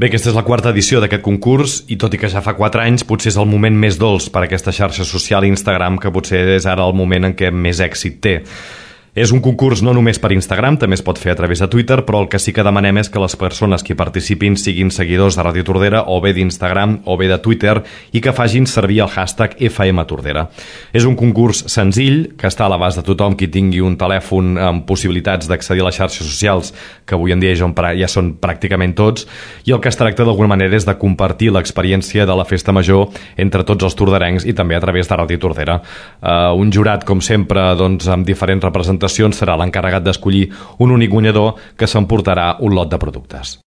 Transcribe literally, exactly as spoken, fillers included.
Bé, aquesta és la quarta edició d'aquest concurs i tot i que ja fa quatre anys potser és el moment més dolç per a aquesta xarxa social Instagram, que potser és ara el moment en què més èxit té. És un concurs no només per Instagram, també es pot fer a través de Twitter, però el que sí que demanem és que les persones que hi participin siguin seguidors de Ràdio Tordera o bé d'Instagram o bé de Twitter i que facin servir el hashtag F M Tordera. És un concurs senzill que està a l'abast de tothom qui tingui un telèfon amb possibilitats d'accedir a les xarxes socials, que avui en dia ja són pràcticament tots, i el que es tracta d'alguna manera és de compartir l'experiència de la Festa Major entre tots els torderencs i també a través de Ràdio Tordera. Uh, un jurat, com sempre, doncs, amb diferents representacions serà l'encarregat d'escollir un únic guanyador que s'emportarà un lot de productes.